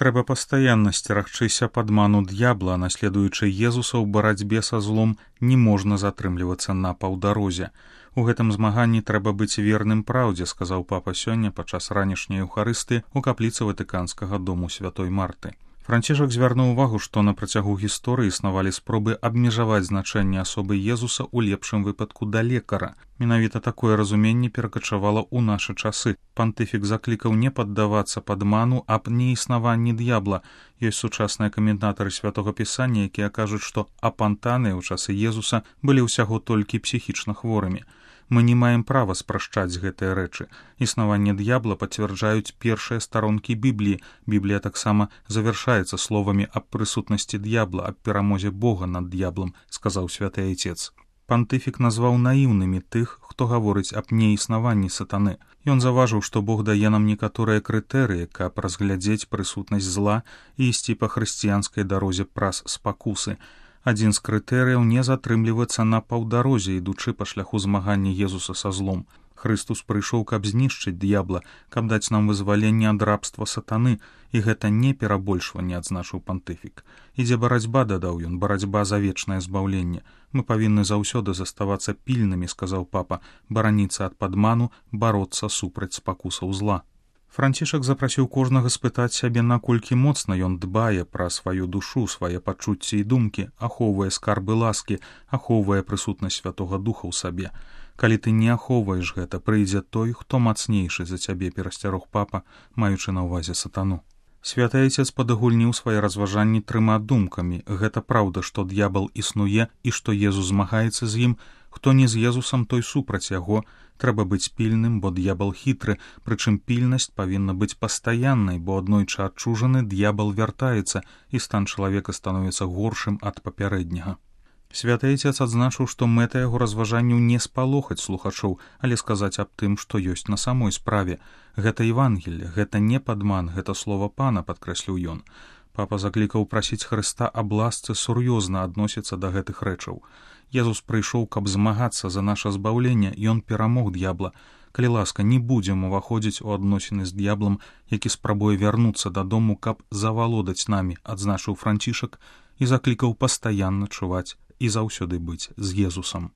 Трэба пастаянна сцерагчыся падману д'ябла, наследуючы Езуса ў барацьбе са злом, не можна затрымлівацца на паўдарозе. У гэтым змаганні трэба быць верным праўдзе, сказаў папа сёння падчас ранішняй еўхарыстыі ў капліцы Ватыканскага дому святой Марты. Францішак звярнуў увагу, што на працягу гісторыі існавалі спробы абмежаваць значэнне асобы Езуса ў лепшым выпадку да лекара. Менавіта такое разуменне перакачавала ў нашы часы. Пантыфік заклікаў не паддавацца падману аб неіснаванні д'ябла. Ёсць сучасныя каментатары святога пісання, якія кажуць, што апантаныя ў часы Езуса былі ўсяго толькі псіхічна хворымі. Мы не маем права спрашчаць гэтыя рэчы. Існаванне д'ябла пацвярджаюць першыя старонкі Бібліі. Біблія таксама завяршаецца словамі аб прысутнасці д'ябла, аб перамозе Бога над д'яблам, сказаў святы айцец. Пантыфік назваў наіўнымі тых, хто гаворыць аб неіснаванні сатаны. Ён заўважыў, што Бог дае нам некаторыя крытэрыі, каб разглядзець прысутнасць зла і ісці па хрысціянскай дарозе праз спакусы. Адзін з крытэрыяў не затрымлівацца на паўдарозе, ідучы па шляху змагання Езуса са злом. Хрыстус прыйшоў, каб знішчыць д'ябла, каб даць нам вызваленне ад рабства сатаны, і гэта не перабольшванне, адзначыў пантыфік. Ідзе барацьба, дадаў ён, барацьба за вечнае збаўленне. Мы павінны заўсёды заставацца пільнымі, сказаў папа, бараніцца ад падману, бароцца супраць спакусаў зла. Францішак запрасіў кожнага спытаць сябе, наколькі моцна ён дбае пра сваю душу, свае пачуцці і думкі, ахоўвае скарбы ласкі, ахоўвае прысутнасць Святога Духа ў сабе. Калі ты не ахоўваеш гэта, прыйдзе той, хто мацнейшы за цябе, перасцярог папа, маючы на ўвазе сатану. Святы айцец падагульніў свае разважанні 3 думкамі. Гэта праўда, што д'ябал існуе і што Езус змагаецца з ім. Хто не з Езусам, той супраць яго. Трэба быць пільным, бо д'ябал хітры, прычым пільнасць павінна быць пастаяннай, бо аднойчы адчужаны д'ябал вяртаецца, і стан чалавека становіцца горшым ад папярэдняга. Святы айцец адзначыў, што мэта яго разважанняў не спалохаць слухачоў, але сказаць аб тым, што ёсць на самой справе. Гэта Евангелле, гэта не падман, гэта слова Пана, падкрэсліў ён. Папа заклікаў прасіць Хрыста аб ласцы сур'ёзна адносіцца да гэтых рэчаў. Езус прыйшоў, каб змагацца за наша збаўленне, ён перамог д'ябла. Калі ласка, не будзем уваходзіць у адносіны з д'яблам, які спрабуе вярнуцца дадому, каб завалодаць намі, адзначыў Францішак і заклікаў пастаянна чуваць і заўсёды быць з Езусам.